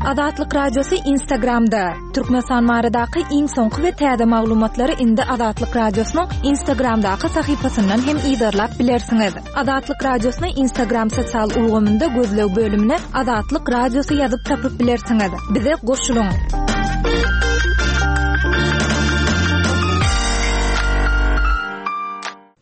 Azatlyk Radiosy Instagramda, Türkmenistan baradaky iň soňky we täze maglumatlary indi Azatlyk Radiosynyň Instagramdaky sahypasyndan hem yzarlap bilersiňiz. Azatlyk Radiosyny Instagram sosial ulgamynda gözleg bölümine Azatlyk Radiosy ýazyp tapyp bilersiňiz. Bize goşulyň!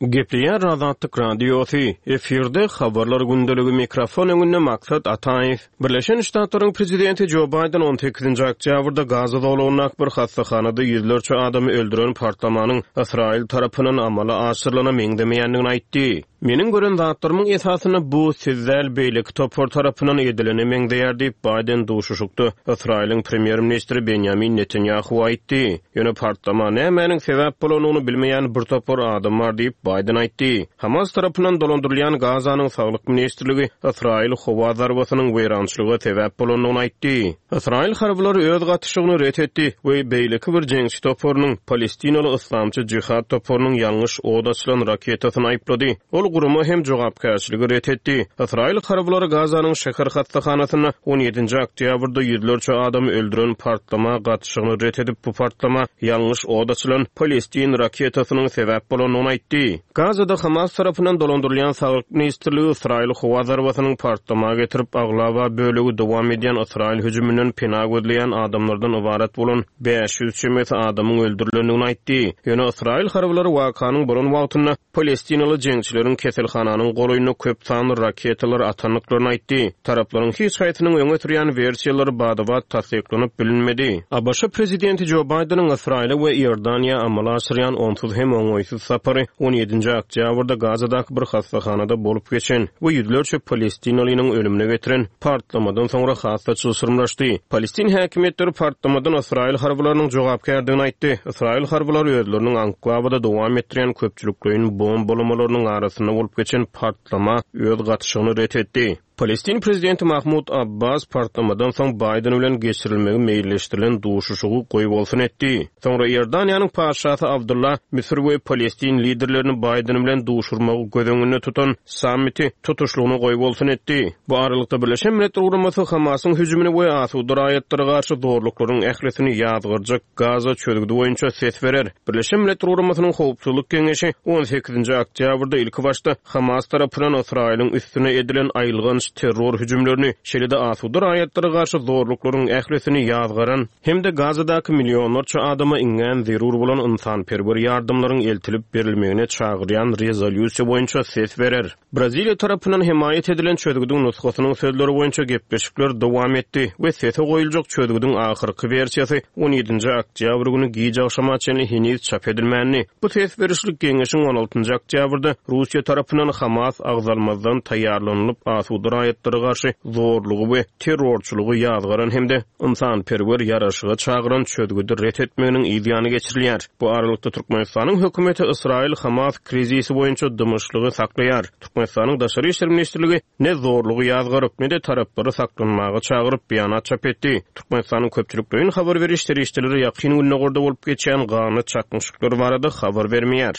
Gepleýär Azatlyk Radiosy, efirde Habarlar gündeligi mikrofon öňünde Maksat Ataýew. Birleşen Ştatlaryň prezidenti Jo Baýden on sekizinji oktýabrda Gaza zolagyndaky bir hassahanada ýüzlerçe adamy öldüren partlamanyň Ysraýyl tarapyndan amala aşyrylana meňzemeýändigini aýtdy. Meniň gören zatlarymyň esasynda bu siz däl, beýleki topar tarapyndan edilene meňzeýär diýip, Baýden duşuşykda Ysraýylyň premýer-ministri Benýamin Netanýahuwa aýtdy. Ýöne partlama nämäniň sebäp bolandygyny bilmeýän bir topar adam bar diýip, Baýden aýtdy. Hamas tarapyndan dolandyrylýan Gazanyň Saglyk ministrligi Ysraýyl howa zarbasynyň weýrançylyga sebäp bolandygyny aýtdy. Ysraýyl harbylary öz gatyşygyny ret etdi we beýleki bir jeňçi toparynyň, palestinaly Yslamçy Jihad toparynyň ýalňyş od açylan raketasyny aýyplady. Ol gurama hem jogapkärçiligi ret etdi. Ysraýyl harbylary Gazanyň şäher hassahanasynda on ýedinji oktýabrda ýüzlerçe adamy öldüren partlama gatyşygyny ret edip, bu partlama ýalňyş od açylan palestin raketasynyň sebäp bolandygyny aýtdy. Gazada Hamas tarapyndan dolandyrylýan Saglyk ministrligi Ysraýyl howa zarbasynyň partlama getirip, aglaba bölegi dowam edýän Ysraýyl hüjüminden pena gözleýän adamlardan ybarat bolan 500 çemesi adamyň öldürilendigini aýtdy. Ýöne Ysraýyl harbylary wakanyň bolan wagtynda palestinaly jeňçileriň keselhananyň golaýynda köp sanly raketalary atandyklaryny aýtdy. Taraplaryň hiç haýsynyň öňe sürýän wersiýalary bada-bat tassyklanyp bilinmedi. ABŞ prezidenti Jo Baýdeniň Ysraýyla we Iordaniýa amala aşyrýan onsuz hem oňaýsyz sapary on ýedinji oktýabrda Gazadaky bir hassahanada bolup geçen we ýüzlerçe palestinalynyň ölümine getiren partlamadan soňra has-da çylşyrymlaşdy. Palestin häkimiýetleri partlamadan ysraýyl harbylarynyň jogapkärdigini aýtdy. Ysraýyl harbylary özleriniň anklawada dowam etdirýän köpçülikleýin bombalamalarynyň arasynda bolup geçen partlama öz gatyşygyny ret etdi. Palestin prezidenti Mahmud Abbas partlamadan soň Baýden bilen geçirilmegi meýilleşdirilen duşuşygy goýbolsun etdi. Soňra Iordaniýanyň patyşasy Abdylla Müsür we palestin liderlerini Baýden bilen duşurmagy göz öňünde tutan sammiti tutuşlygyna goýbolsun etdi. Bu aralykda Birleşen Milletler Guramasy Hamasyň hüjümini we asuda raýatlara garşy zorluklaryň ählisini ýazgarjak Gaza çözgüdi boýunça ses berer. Birleşen Milletler Guramasynyň Howpsuzlyk Geňeşi on sekizinji oktýabrda ilkibaşda Hamas tarapyndan Ysraýylyň üstüne edilen aýylganç terror hüjümlerini, şeýle-de asuda raýatlara garşy zorluklaryň ählisini ýazgaran hem-de Gazadaky millionlarça adama iňňän zerur bolan ynsanperwer ýardamlaryň eltilip berilmegine çagyrýan rezolýusiýa boýunça ses berer. Braziliýa tarapyndan hemaýat edilen çözgüdiň nusgasynyň sözleri boýunça gepleşikler dowam etdi we sese goýuljak çözgüdiň ahyrky wersiýasy on ýedinji oktýabr güni giç agşama çenli heniz çap edilmändi. Bu ses berişlik geňeşiň on altynjy oktýabrda Russiýa tarapyndan Hamas agzalmazdan taýýarlanylyp asuda raýatlara garşy zorlugy we terrorçylygy ýazgaran hem-de ynsanperwer ýaraşyga çagyran çözgüdi ret etmeginiň yz ýany geçirilýär. Bu aralykda Türkmenistanyň hökümeti Ysraýyl-Hamas krizisi boýunça dymyşlygy saklaýar. Türkmenistanyň Daşary işler ministrligi ne zorlugy ýazgaryp, ne-de taraplary saklanmaga çagyryp, beýanat çap etdi. Türkmenistanyň köpçülikleýin habar beriş serişdeleri Ýakyn Gündogarda bolup geçýän ganly çaknyşyklar barada habar bermeýär.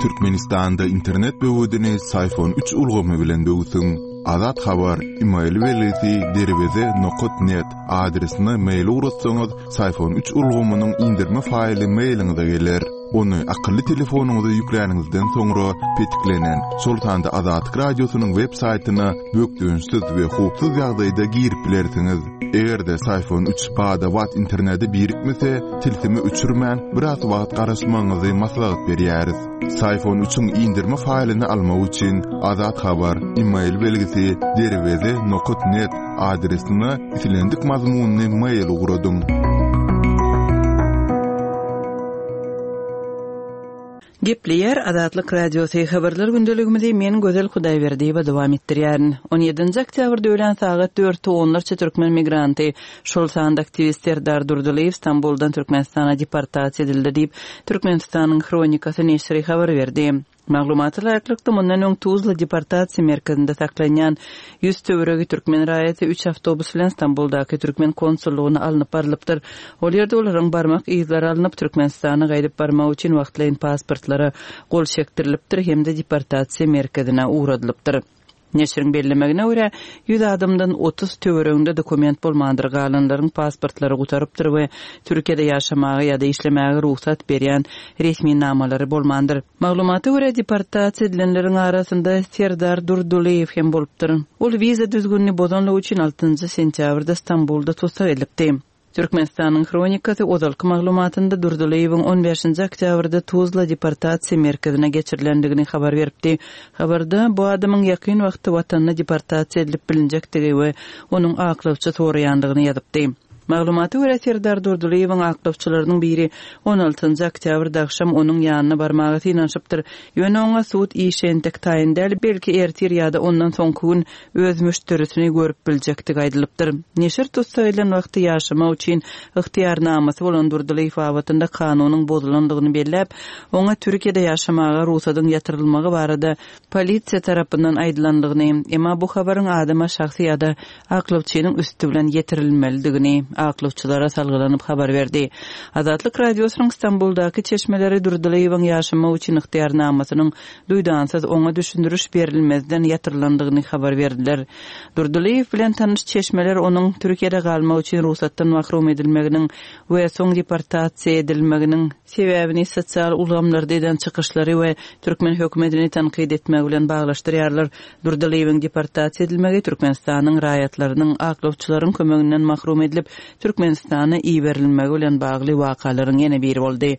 Türkmenistanda internet böwedini Syfon üç ulgamy bilen böwsüň. Azat Habar, email belgisi derweze nokat net adresine mail ugratsaňyz, Syfon üç ulgamynyň indirme faýly mailiňize geler. Ony akylly telefonyňyza ýükläniňizden soňra petiklenen, şol sanda Azatlyk Radiosynyň web saýtyna bökdençsiz we howpsuz ýagdaýda girip bilersiňiz. Eger-de Syfon üç bada-bat internete birikmese, tilsimi öçürmän, biraz wagt garaşmagyňyzy maslahat berýäris. Syfon üçiň indirme faýlyny almak üçin Azat Habar, email belgisi derweze nokat net adresine islendik mazmunly mail ugradyň. Gepleýär Azatlyk Radiosy, Habarlar gündeligimizi men Gözel Hudaýberdiýewa dowam etdirýärin. On ýedinji oktýabrda öýlän sagat dörtde onlarça türkmen migranty, şol sanda aktiwist Serdar Durdylyýew Stambuldan Türkmenistana deportasiýa edildi diýip, Türkmenistanyň Hronikasy neşiri habar berdi. Maglumata laýyklykda, mundan öň Tuzla deportasiýa merkezinde saklanýan 100 töweregi türkmen raýaty üç awtobus bilen Stambuldaky türkmen konsullygyna alnyp barlypdyr. Ol ýerde olaryň barmak yzlary alnyp, Türkmenistana gaýdyp barmak üçin wagtlaýyn pasportlara gol çekdirilipdir hem-de deportasiýa merkezine ugradylypdyr. Neşiriň bellemegine görä, ýüz adamdan 30 töwereginde dokument bolmandyr, galanlaryň pasportlary gutarypdyr we Türkiýede ýaşamaga ýa-da işlemäge rugsat berýän resminamalary bolmandyr. Maglumata görä, deportasiýa edilenleriň arasynda Serdar Durdylyýew hem bolupdyr. Ol wiza düzgünini bozanlygy üçin altynjy sentýabrda Stambulda tussag edilipdi. Türkmenistanyň Hronikasy ozalky maglumatynda Durdylyýewiň on bäşinji oktýabrda Tuzla deportasiýa merkezine geçirilendigini habar beripdi. Habarda bu adamyň ýakyn wagtda watanyna deportasiýa edilip bilinjekdigi we onuň aklawçy soraýandygyny ýazypdy. Maglumata görä, Serdar Durdylyýewiň aklawçylarynyň biri on altynjy oktýabrda agşam onuň ýanyna barmaga synanyşypdyr. Ýöne oňa sud işi entek taýyn däl, belki ertir ýa-da ondan soňky gün öz müşderisini görüp biljekdigi aýdylypdyr. Neşir tussag edilen wagty ýaşamak üçin ygtyýarnamasy bolan Durdylyýew babatynda kanunyň bozulandygyny belläp, oňa Türkiýede ýaşamaga rugsadyň ýatyrylmagy barada polisiýa tarapyndan aýdylandygyny, emma bu habaryň adama şahsy ýa-da aklawçynyň üsti bilen ýetirilmelidigini aklawçylara salgylanyp habar berdi. Azatlyk Radiosynyň Stambuldaky çeşmeleri Durdylyýewiň ýaşamak üçin ygtyýarnamasynyň duýdansyz oňa düşündiriş berilmezden ýatyrylandygyny habar berdiler. Durdylyýew bilen tanyş çeşmeler onuň Türkiýede galmak üçin rugsatdan mahrum edilmeginiň we soň deportasiýa edilmeginiň sebäbini sosial ulgamlarda eden çykyşlary we türkmen hökümetini tankyt etmegi bilen baglaşdyrýarlar. Durdylyýewiň deportasiýa edilmegi Türkmenistanyň raýatlarynyň aklawçylaryň kömeginden mahrum edilip, Türkmenistana iberilmegi bilen bagly wakalaryň ýene biri boldy.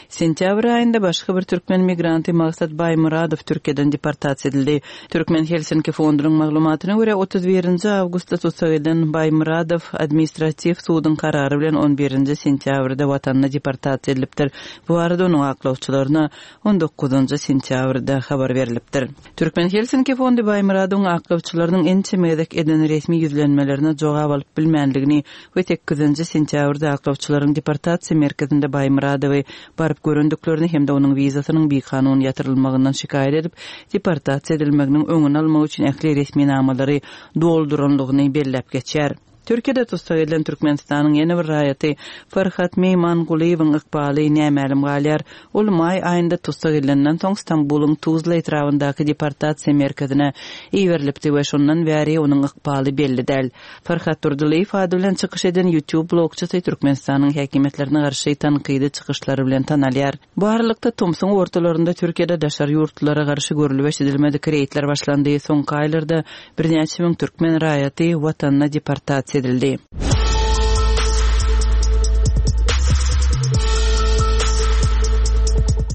Sentýabr aýynda başga bir türkmen migranty Maksat Baýmyradow Türkiýeden deportasiýa edildi. Türkmen Helsinki fondunyň maglumatyna görä, 31 awgustda tussag edilen Baýmyradow administratiw suduň karary bilen on birinji sentýabrda watanyna deportasiýa edilipdir. Bu barada onuň aklawçylaryna on dokuzynjy sentýabrda habar berlipdir. Türkmen Helsinki fondy Baýmyradowyň aklawçylarynyň ençeme gezek eden resmi ýüzlenmelerine jogap alyp bilmändigini we sekizinji sentýabrda aklawçylaryň deportasiýa merkezinde Baýmyradowy baryp görendiklerini hem-de onuň wizasynyň bikanun ýatyrylmagyndan şikaýat edip, deportasiýa edilmeginiň öňüni almak üçin ähli resminamalary doldurandygyny belläp geçýär. Türkiýede tussag edilen Türkmenistanyň ýene bir raýaty Farhat Meýmangulyýewiň ykbaly nämälim galýar. Ol maý aýynda tussag edilenden soň Stambulyň Tuzla etrabyndaky deportasiýa merkezine iberilipdi we şondan bäri onuň ykbaly belli däl. Farhat Durdylyýew ady bilen çykyş eden YouTube blogçysy Türkmenistanyň häkimiýetlerine garşy tankydy çykyşlary bilen tanalýar. Bu aralykda, tomsuň ortalarynda Türkiýede daşary ýurtlulara garşy görlüp-eşidilmedik reýdler başlandy. Soňky aýlarda birnäçe müň türkmen raýaty watanyna deportasiýa edildi.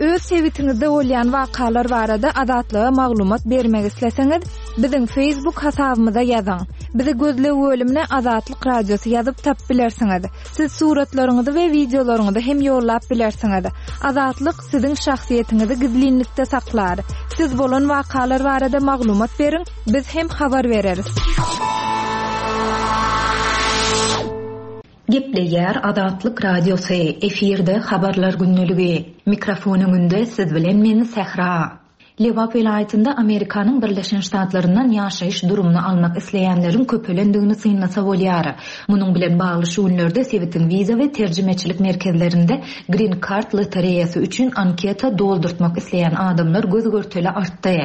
Öz sebitiňizde bolýan wakalar barada Azatlyga maglumat bermek isleseňiz, biziň Facebook hasabymyza ýazyň. Bizi gözleg bölümine Azatlyk Radiosy ýazyp tapyp bilersiňiz. Siz suratlaryňyzy we wideolaryňyzy hem ýollap bilersiňiz. Azatlyk siziň şahsyýetiňizi gizlinlikde saklar. Siz bolan wakalar barada maglumat beriň, biz hem habar bereris. Gepleýär Azatlyk Radiosy, efirde Habarlar gündeligi. Mikrofon öňünde siz bilen men Sähra. Lebap welaýatynda Amerikanyň Birleşen Ştatlaryndan ýaşaýyş durumyny almak isleýänleriň köpelendigini synlasa bolýar. Munuň bilen bagly şu günlerde sebitiň wiza we terjimeçilik merkezlerinde Green Card lotereýasy üçin anketa doldurtmak isleýän adamlar göz-görtele artdy.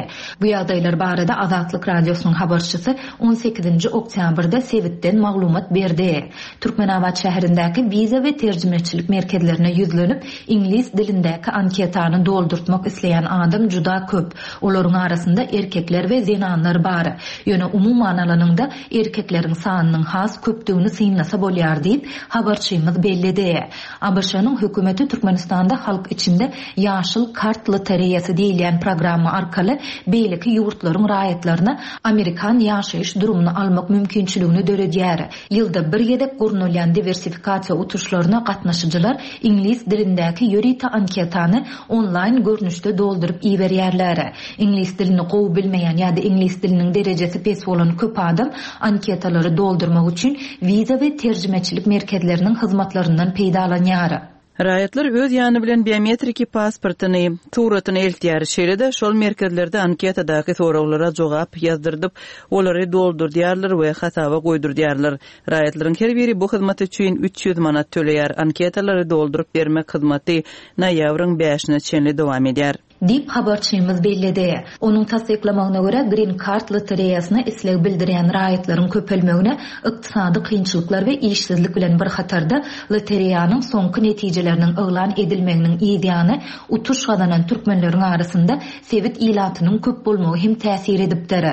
Bu ýagdaýlar barada Azatlyk Radiosynyň habarçysy on sekizinji oktýabrda sebitden maglumat berdi. Türkmenabat şäherindäki wiza we terjimeçilik merkezlerine ýüzlenip, Iňlis dilindäki anketany doldurtmak isleýän adam juda köp. Olaryň arasynda erkekler we zenanlar bar. Ýöne umuman alanyňda, erkekleriň sanynyň has köpdügini synlasa bolýar diýip, habarçymyz belledi. ABŞ-nyň hökümeti Türkmenistanda halk içinde Ýaşyl kart lotereýasy diýilýän programma arkaly beýleki ýurtlaryň raýatlaryna amerikan ýaşaýyş durumyny almak mümkinçiligini döredýär. Ýylda bir gezek gurnalýan diwersifikasiýa utuşlaryna gatnaşyjylar iňlis dilindäki ýörite anketany onlaýn görnüşde dolduryp iberýärler. Iňlis dilini gowy bilmeýän ýa-da iňlis diliniň derejesi pes bolan köp adam anketalary doldurmak üçin wiza we terjimeçilik merkezleriniň hyzmatlaryndan peýdalanýar. Raýatlar öz ýany bilen biometriki pasportyny, suratyny eltýär. Şeýle-de, şol merkezlerde anketadaky soraglara jogap ýazdyrdyp, olary doldurdýarlar we hasaba goýdurdýarlar. Raýatlaryň her biri bu hyzmat üçin 300 manat töleýär. Anketalary dolduryp bermek hyzmaty noýabryň bäşine çenli dowam edýär. Diýip, habarçymyz belledi. Onuň tassyklamagyna görä, Green Card lotereýasyna isleg bildirýän raýatlaryň köpelmegine ykdysady kynçylyklar we işsizlik bilen bir hatarda, lotereýanyň soňky netijeleriniň yglan edilmeginiň yzýany utuş gazanan türkmenleriň arasynda sebit ilatynyň köp bolmagy hem täsir edipdir.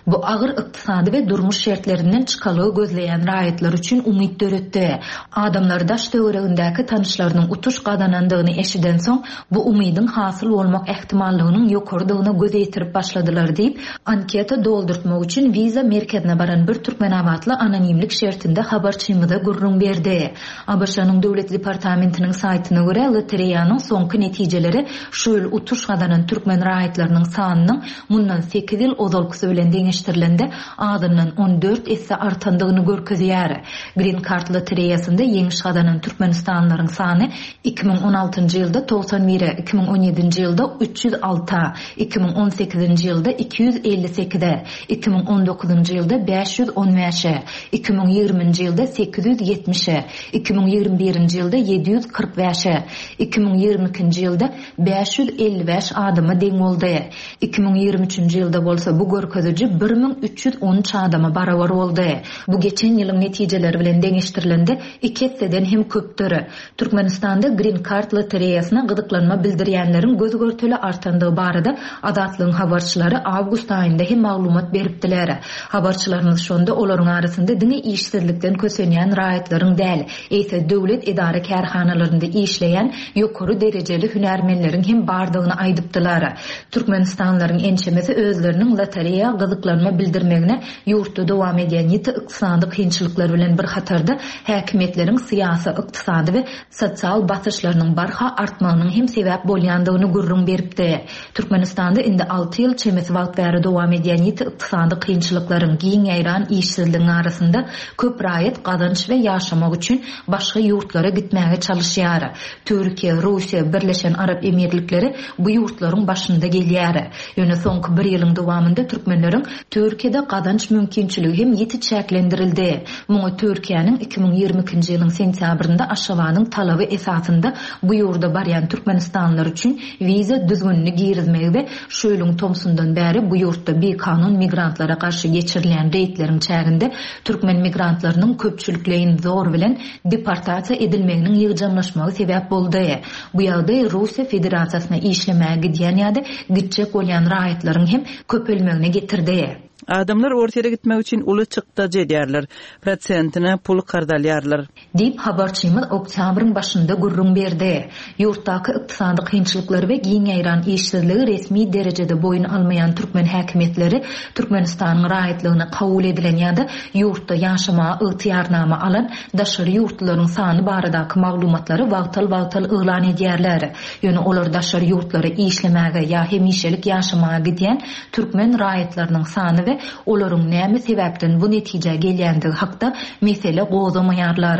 Bu agyr ykdysady we durmuş şertlerinden çykalga gözleýän raýatlar üçin umyt döretdi. Adamlar daş-töweregindäki tanyşlarynyň utuş gazanandygyny eşidensoň, bu umydyň hasyl bolmak ähtimallygynyň ýokarydygyna göz ýetirip başladylar diýip, anketa doldurtmak üçin wiza merkezine baran bir türkmenabatly anonimlik şertinde habarçymyza gürrüň berdi. ABŞ-nyň Döwlet departamentiniň saýtyna görä, lotereýanyň soňky netijeleri şu ýyl utuş gazanan türkmen raýatlarynyň sanynyň mundan sekiz ýyl ozalkysy bilen deňeşdirilende azyndan 14 esse artandygyny görkezýär. Green Card lotereýasynda ýeňiş gazanan türkmenistanlylaryň sany 2016-njy ýylda 91-e, 2017-nji ýylda 306-a, 2018-nji ýylda 258-e, 2019-njy ýylda 515-e, 2020-nji ýylda 870-e, 2021-nji ýylda 745-e, 2022-nji ýylda 555 adama deň boldy. 2023-nji ýylda bolsa bu görkeziji 1313 adama barabar boldy. Bu geçen ýylyň netijeleri bilen deňeşdirilende iki esseden hem köpdür. Türkmenistanda Green Card lotereýasyna gyzyklanma bildirýänleriň göz-görtele artandygy barada Azatlygyň habarçylary awgust aýynda hem maglumat beripdiler. Habarçylarymyz şonda olaryň arasynda diňe işsizlikden kösenýän raýatlaryň däl, eýse döwlet edara-kärhanalarynda işleýän ýokary derejeli hünärmenleriň hem bardygyny aýdypdylar. Türkmenistanlylaryň ençemesi özleriniň lotereýa gyzyklanma bildirmegine ýurtda dowam edýän ýiti ykdysady kynçylyklar bilen bir hatarda häkimiýetleriň syýasy, ykdysady we sosial basyşlarynyň barha artmagynyň hem sebäp bolýandygyny gürrüň beripdi. Türkmenistanda indi alty ýyl çemesi wagt bäri dowam edýän ýiti ykdysady kynçylyklaryň, giň ýaýran işsizligiň arasynda köp raýat gazanç we ýaşamak üçin başga ýurtlara gitmäge çalyşýar. Türkiýe, Russiýa, Birleşen Arap Emirlikleri bu ýurtlaryň başynda gelýär. Ýöne soňky bir ýylyň dowamynda türkmenleriň Türkiýede gazanç mümkinçiligi hem ýiti çäklendirildi. Muňa Türkiýäniň 2022-nji ýylyň sentýabrynda Aşgabadyň talaby esasynda bu ýurda barýan türkmenistanlylar üçin wiza düzgünini girizmegi we şu ýylyň tomsundan bäri bu ýurtda bikanun migrantlara garşy geçirilýän reýdleriň çäginde türkmen migrantlarynyň köpçülikleýin zor bilen deportasiýa edilmeginiň ýygjamlaşmagy sebäp boldy. Bu ýagdaý Russiýa Federasiýasyna işlemäge gidýän ýa-da gitjek bolýan raýatlaryň hem köpelmegine getirdi. Adamlar Orsýere gitmek üçin uly çykdajy edýärler. Prosentine pul karz alýarlar. Diýip, habarçymyz oktýabryň başynda gürrüň berdi. Ýurtdaky ykdysady kynçylyklary we giň ýaýran işsizligi resmi derejede boýun almaýan türkmen häkimiýetleri Türkmenistanyň raýatlygyna kabul edilen ýa-da ýurtda ýaşamaga ygtyýarnama alan daşary ýurtlularyň sany baradaky maglumatlary wagtal-wagtal yglan edýärler. Ýöne olar daşary ýurtlara işlemäge ýa hemişelik ýaşamaga gidýän türkmen raýatlarynyň sany we olaryň näme sebäpden bu netijä gelýändigi hakda mesele gozgamaýarlar.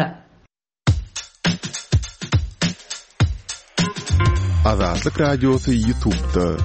Azatlyk Radiosy Ýutubda.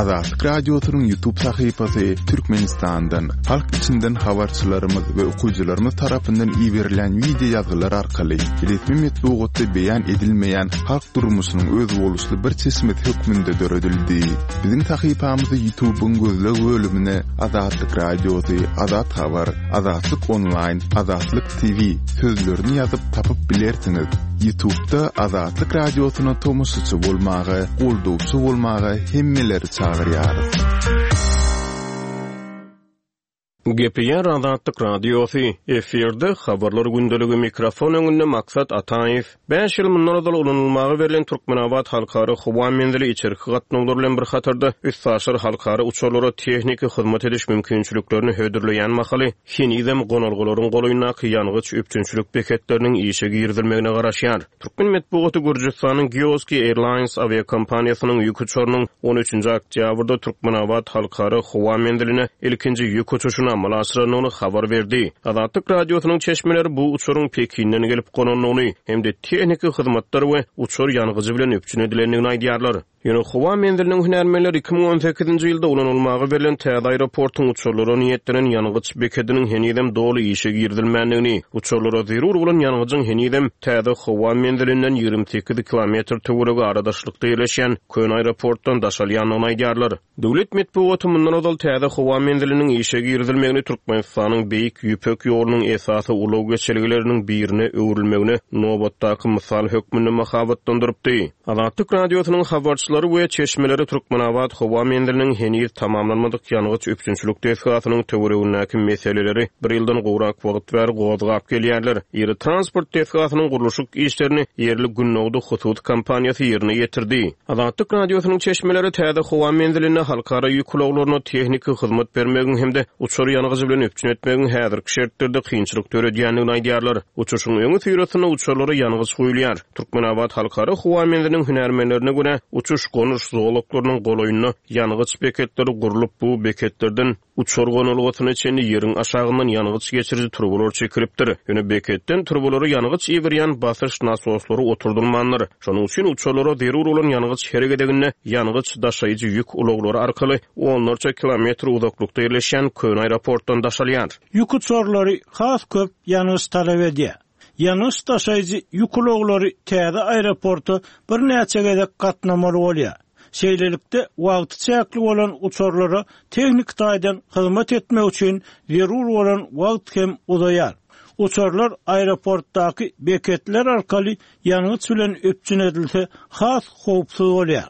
Azatlyk Radiosynyň Ýutub sahypasy Türkmenistandan, halk içinden habarçylarymyz we okyjylarymyz tarapyndan iberilen wideo ýazgylar arkaly resmi metbugatda beýan edilmeýän halk durmuşynyň özboluşly bir çeşmesi hökmünde döredildi. Biziň sahypamyzy Ýutubyň gözleg bölümine Azatlyk Radiosy, Azat Habar, Azatlyk Onlaýn, Azatlyk TV sözlerini ýazyp tapyp bilersiňiz. Ýutubda Azatlyk Radiosyna tomaşaçy bolmaga, goldawçy bolmaga hemmeleri çagyrýarys. Gepleýär Azatlyk Radiosy, efirde Habarlar gündeligi mikrofon öňünde Maksat Ataýew. Bäş ýyl mundan ozal ulanylmaga berlen Türkmenabat halkara howa menzili içerki gatnawlar bilen bir hatarda, üstaşyr halkara uçarlara tehniki hyzmat ediş mümkinçiliklerini hödürleýän mahaly, henizem gonalgalaryň golaýyndaky ýangyç üpjünçilik beketleriniň işe girizilmegine garaşýar. Türkmen metbugaty Gürjüstanyň Geoski Airlines awiakompaniýasynyň ýük uçarynyň on üçünji oktýabrda Türkmenabat halkara howa menziline ilkinji ýük uçuşyny. amala aşyrandygyny habar berdi. Azatlyk Radiosynyň çeşmeleri bu uçaryň Pekinden gelip gonandygyny hem-de tehniki hyzmatlar we uçar ýangyjy bilen üpjün edilendigini aýdýarlar. Ýöne howa menziliniň hünärmenleri 2018-nji ýylda ulanylmaga berlen täze aeroportuň uçarlara niýetlenen ýangyç bekediniň henizem doly işe girizilmändigini, uçarlara zerur bolan ýangyjyň henizem täze howa menzilinden 28 kilometr töweregi aradaşlykda ýerleşýän köne aeroportdan daşalýandygyny aýdýarlar. Döwlet metbugaty mundan ozal täze howa menziliniň işe girizilmegini Türkmenistanyň Beýik Ýüpek ýolunyň esasy ulag geçelgeleriniň birine öwrülmegine nobatdaky mysal hökmünde mahabatlandyrypdy. Azatlyk Radiosynyň habarçylary we çeşmeleri Türkmenabat howa menziliniň heniz tamamlanmadyk ýangyç üpjünçilik desgasynyň töweregindäki meseleleri bir ýyldan gowrak wagt bäri gozgap gelýärler. Iri transport desgasynyň gurluşyk işlerini ýerli Gündogdy hususy kompaniýasy ýerine ýetirdi. Azatlyk Radiosynyň çeşmeleri täze howa menzilinde halkara ýük ulaglaryna tehniki hyzmat bermegiň hem-de uçar ýangyjy bilen üpjün etmegiň häzirki şertlerde kynçylyk döredýändigini aýdýarlar. Uçuşyň öňüsyrasynda uçarlara ýangyç guýulýar. Türkmenabat halkara howa menziliniň hünärmenlerine görä, uçuş-gonuş zolaklarynyň golaýynda ýangyç beketleri gurlup, bu beketlerden Uçar gonalgasyna çenli ýeriň aşagyndan ýangyç geçiriji turbalar çekilipdir. Ýöne beketden turbalara ýangyç iberýän basyş nasoslary oturdylmandyr. Şonuň üçin uçarlara zerur bolan ýangyç her gezeginde ýangyç daşaýjy ýük ulaglary arkaly onlarça kilometr uzaklykda ýerleşýän köne aeroportdan daşalýar. Ýük uçarlary has köp ýangyç talap edýär. Ýangyç daşaýjy ýük ulaglary täze aeroporta birnäçe gezek gatnamaly bolýar. Şeýlelikde, wagty çäkli bolan uçarlara tehniki taýdan hyzmat etmek üçin zerur bolan wagt hem uzaýar. Uçarlar aeroportdaky beketler arkaly ýangyç bilen üpjün edilse has howpsuz bolýar.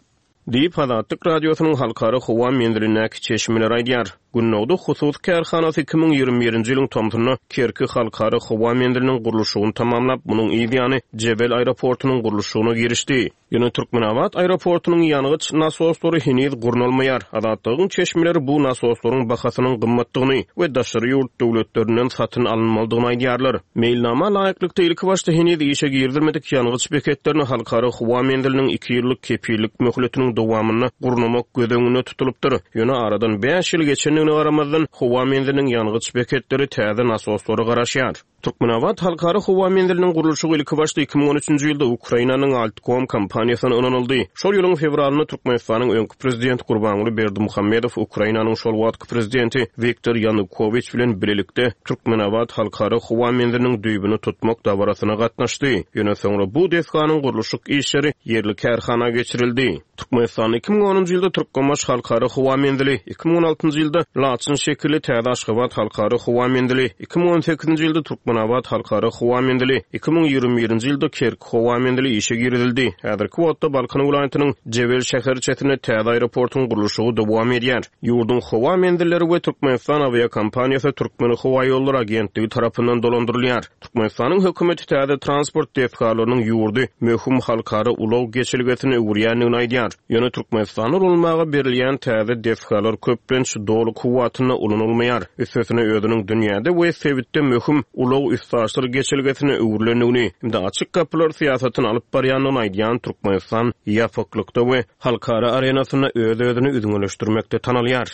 Diýip, Azatlyk Radiosynyň halkara howa menzilindäki çeşmeleri aýdýar. Gündogdy hususy kärhanasy 2021-nji ýylyň tomsunda Kerki halkara howa menziliniň gurluşygyny tamamlap, munuň yz ýany Jebel aeroportunyň gurluşygyna girişdi. Ýöne Türkmenabat aeroportunyň ýangyç nasoslary heniz gurnalmaýar. Azatlygyň çeşmeleri bu nasoslaryň bahasynyň gymmatdygyny we daşary ýurt döwletlerinden satyn alynmalydygyny aýdýarlar. Meýilnama laýyklykda, ilkibaşda heniz işe girizilmedik ýangyç beketlerini Halkara howa menziliniň iki ýyllyk kepillik möhletiniň dowamynda gurnamak göz öňünde tutulypdyr. Ýöne aradan bäş ýyl geçendigine garamazdan, howa menziliniň ýangyç beketleri täze nasoslara garaşýar. Türkmenabat Halkara howa menziliniň gurluşygy ilkibaşda 2013-nji ýylda Ukrainanyň Altkom kompaniýasyna ynanyldy. Şol ýylyň fewralynda Türkmenistanyň öňki Prezidenti Gurbanguly Berdimuhamedow Ukrainanyň şol wagtky Prezidenti Wiktor Ýanukowiç bilen bilelikde Türkmenabat Halkara howa menziliniň düýbüni tutmak dabarasyna gatnaşdy. Ýöne soňra bu desganyň gurluşyk işleri ýerli kärhana geçirildi. Türkmenistanda 2010-njy ýylda Türkmenbaşy Halkara howa menzili, 2016-njy ýylda Laçyn şekilli täze Aşgabat Halkara howa menzili, 2018-nji ýylda Türkmenabat Halkara howa menzili, 2021-nji ýylda Kerki howa menzili işe girizildi. Häzirki wagtda Balkan welaýatynyň Jebel şäherçesinde täze aeroportuň gurluşygy dowam edýär. Ýurduň howa menzilleri we Türkmenistan awiakompaniýasy Türkmenhowaýollary agentligi tarapyndan dolandyrylýar. Türkmenistanyň hökümeti täze transport desgalarynyň ýurdy möhüm halkara ulag geçelgesine öwürýändigini aýdýar. Ýöne Türkmenistanda ulanylmaga berilýän täze desgalar köplenç doly kuwwatynda ulanylmaýar. Üstesine özüniň dünýäde we sebitde möhüm ulag-üstaşyr geçelgesine öwrülendigini hem-de açyk gapylar syýasatyny alyp barýandygyny aýdýan Türkmenistan ýapyklykda we halkara arenasynda öz-özüni üzňeleşdirmekde tanalýar.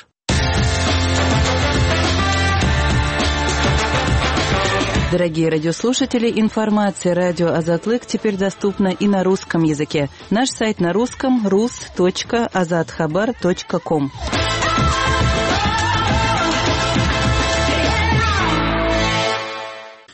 Дорогие радиослушатели, информация радио Азатлык теперь доступна и на русском языке. Наш сайт на русском rus.azathabar.com.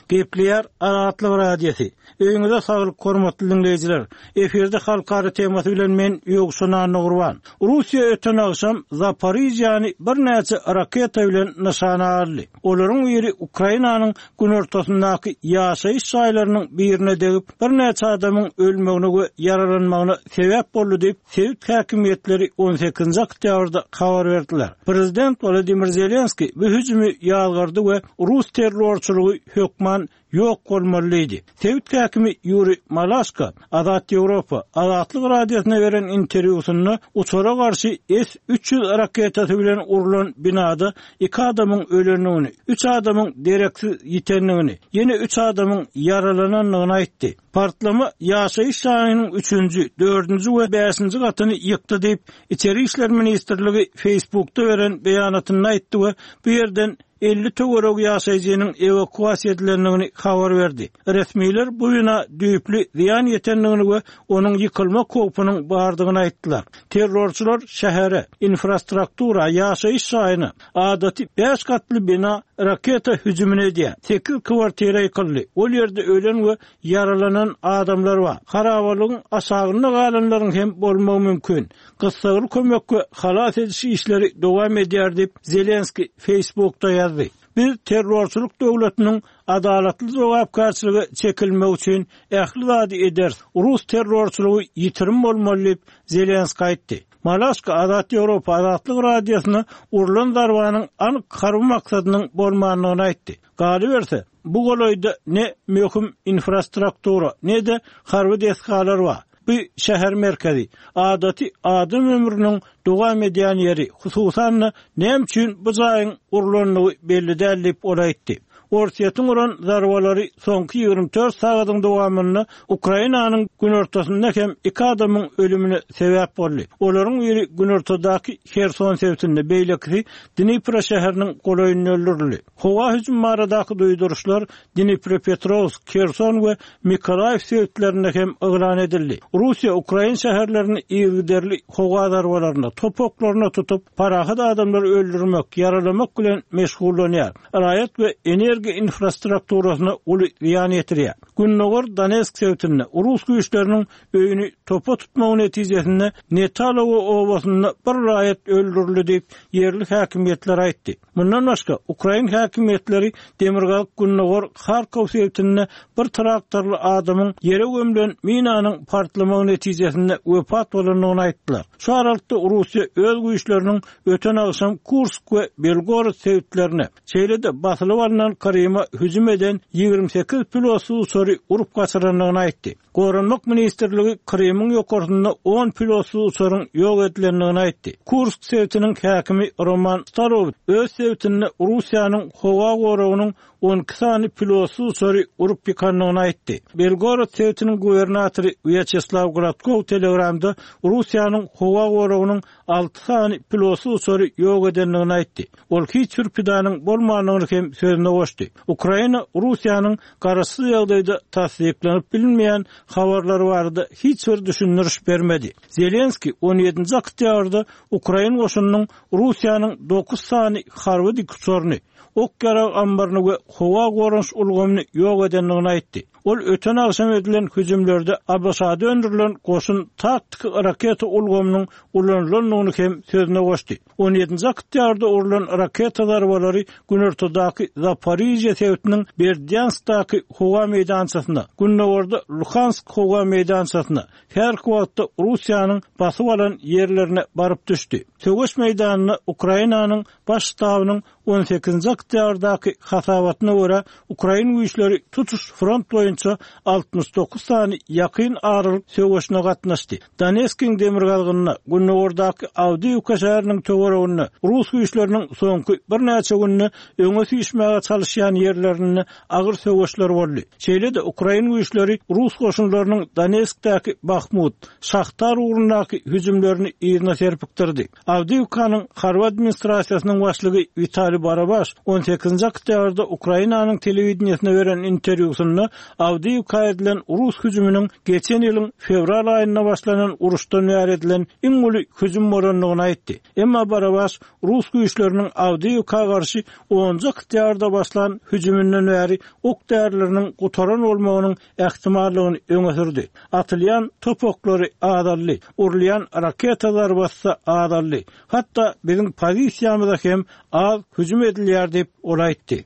Gepleýär Azatlyk Radiosy. Öýüňize saglyk hormatly diňleýjiler. Efirde halkara temasy bilen men Ýowşan Annagurban. Russiýa öten agşam Zaporižýany birnäçe raketa bilen nyşana aldy. Olaryň biri Ukrainanyň günortasyndaky ýaşaýyş jaýlarynyň birine degip, birnäçe adamyň ölmegine we ýaralanmagyna sebäp boldy diýip, sebit häkimiýetleri on sekizinji oktýabrda habar berdiler. Prezident Wolodymyr Zelenskiý bu hüjümi ýazgardy we rus terrorçylygy hökman ýok bolmaly diýdi. Sebit häkimi Ýuriý Malaşko Azat Ýewropa, Azatlyk Radiosyna beren interwýusynda uçara garşy S 300 raketasy bilen urlan binada iki adamyň ölendigini, üç adamyň dereksiz ýitendigini, ýene üç adamyň ýaralanandygyny aýtdy. Partlama ýaşaýyş jaýynyň üçünji, dördünji we bäşinji gatyny ýykdy diýip, Içeri işler ministrligi Facebookda beren beýanatynda aýtdy we bu ýerden. 50 töweregi ýaşaýjynyň ewakuasiýa edilendigini habar berdi. Resmiler bu bina düýpli zyýan ýetendigini we onuň ýykylmak howpunyň bardygyny aýtdylar. Terrorçylar şähere, infrastruktura, ýaşaýyş jaýyna, adaty bäş gatly bina raketa hüjümini edýär. Sekiz kwartira ýykyldy. Ol ýerde ölen we ýaralanan adamlar bar. Harabalygyň aşagynda galanlaryň hem bolmagy mümkin. Gyssagly kömek we halas ediş işleri dowam edýär diýip, Zelenskiý Facebookda ýazdy. Biz terrorçylyk döwletiniň adalatly jogapkärçilige çekilmegi üçin ähli zady ederis. Rus terrorçylygy ýitirim bolmaly diýip, Zelenskiý aýtdy. Malaşka Azat Ýewropa Azatlyk Radiosyna urlan zarbanyň anyk harby maksadynyň bolmandygyny aýtdy. Galyberse, bu golaýda ne möhüm infrastruktura, ne-de harby desgalar bar. Bu şäher merkezi, adaty adam ömrüniň dowam edýän ýeri, hususan-da, näme üçin bu jaýyň urlandygy belli däl diýip, ol aýtdy. Orsýetiň uran zarbalary soňky 24 sagadyň dowamynda Ukrainanyň günortasynda hem iki adamyň ölümine sebäp boldy. Olaryň biri günortadaky Herson sebitinde, beýlekisi Dnipro şäheriniň golaýynda öldürildi. Howa hüjümi baradaky duýduryşlar Dniprepetrowsk, Herson we Mykolaýiw sebitlerinde hem yglan edildi. Russiýa ukrain şäherlerini yzygiderli howa zarbalaryna, top oklaryna tutup, parahat adamlary öldürmek, ýaralamak bilen meşgullanýar, raýat we energiýa infrastrukturasyna uly zyýan ýetirýär. Gündogar Donetsk sebitinde rus güýçleriniň öýüni topa tutmagy netijesinde Netalowo obasynda bir raýat öldürildi diýip, ýerli häkimiýetler aýtdy. Mundan başga, ukrain häkimiýetleri demirgazyk-gündogar Harkow sebitinde bir traktorly adamyň ýere gömlen minanyň partlamagy netijesinde wepat bolandygyny aýtdylar. Şu aralykda Russiýa öz güýçleriniň öten agşam Kursk we Belgorod sebitlerine, şeýle-de basylyp alnan Kryma hüjüm eden 28 pilotsyz uçary urup gaçyrandygyny aýtdy. Goranmak ministrligi Krymyň ýokarsynda on pilotsyz uçaryň ýok edilendigini aýtdy. Kursk sebitiniň häkimi Roman Starowit öz sebitinde Russiýanyň howa goragynyň 12 sany pilotsyz uçary urup ýykandygyny aýtdy. Belgorod sebitiniň gubernatory Wýaçeslaw Gladkow Telegramda Russiýanyň howa goragynyň alty sany pilotsyz uçary ýok edendigini aýtdy. Ol hiç bir pidanyň bolmandygyny hem sözüne goşdy. Ukraina Russiýanyň garaşsyz ýagdaýda tassyklanyp bilinmeýän habarlary barada hiç bir düşündiriş bermedi. Zelenskiý on ýedinji oktýabrda ukrain goşunynyň Russiýanyň dokuz sany harby dikuçaryny, ok-ýarag ammaryny we howa goranyş ulgamyny ýok edendigini aýtdy. Ol öten agşam edilen hüjümlerde ABŞ-da öndürilen goşun taktiki raketa ulgamynyň ulanylandygyny hem sözüne goşdy. On ýedinji oktýabrda urlan raketa zarbalary günortadaky Zaporižýe sebitiniň Berdýanskdaky howa meýdançasyna, gündogarda Luhansk howa meýdançasyna, häzirki wagtda Russiýanyň basyp alan ýerlerine baryp düşdi. Söweş meýdanynda Ukrainanyň Baş ştabynyň on sekizinji oktýabrdaky hasabatyna görä, ukrain güýçleri tutuş front boýunça 69 sany ýakyn aralyk söweşine gatnaşdy. Donetskiň demirgazygynda, gündogardaky Awdiýiwka şäheriniň töwereginde rus güýçleriniň soňky birnäçe günde öňe süýşmäge çalyşýan ýerlerinde agyr söweşler boldy. Şeýle-de, ukrain güýçleri rus goşunlarynyň Donetskdäki Bahmut, Şahtar ugrundaky hüjümlerini yzyna serpikdirdi. Awdiýiwkanyň harby administrasiýasynyň başlygy Witaliý Barabaş on sekizinji oktýabrda Ukrainanyň telewideniýesine beren interwýusynda Awdiýiwka edilen rus hüjüminiň geçen ýylyň fewral aýynda başlanan uruşdan bäri edilen iň uly hüjüm bolandygyny aýtdy. Emma Barabaş rus güýçleriniň Awdiýiwka garşy onunjy oktýabrda başlan hüjüminden bäri ok-därileriniň gutaran bolmagynyň ähtimallygyny öňe sürdi. Atylýan top oklary azaldy, urulýan raketa zarbasy-da azaldy. Hatda biziň pozisiýamyza hem az hüjüm edilýär diýip, ol aýtdy.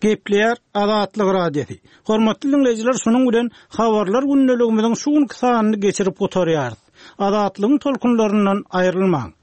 Gepleýär Azatlyk Radiosy. Hormatly diňleýjiler, şunuň bilen Habarlar gündeligimiziň şu günki sanyny geçirip gutarýarys. Azatlygyň tolkunlaryndan aýrylmaň!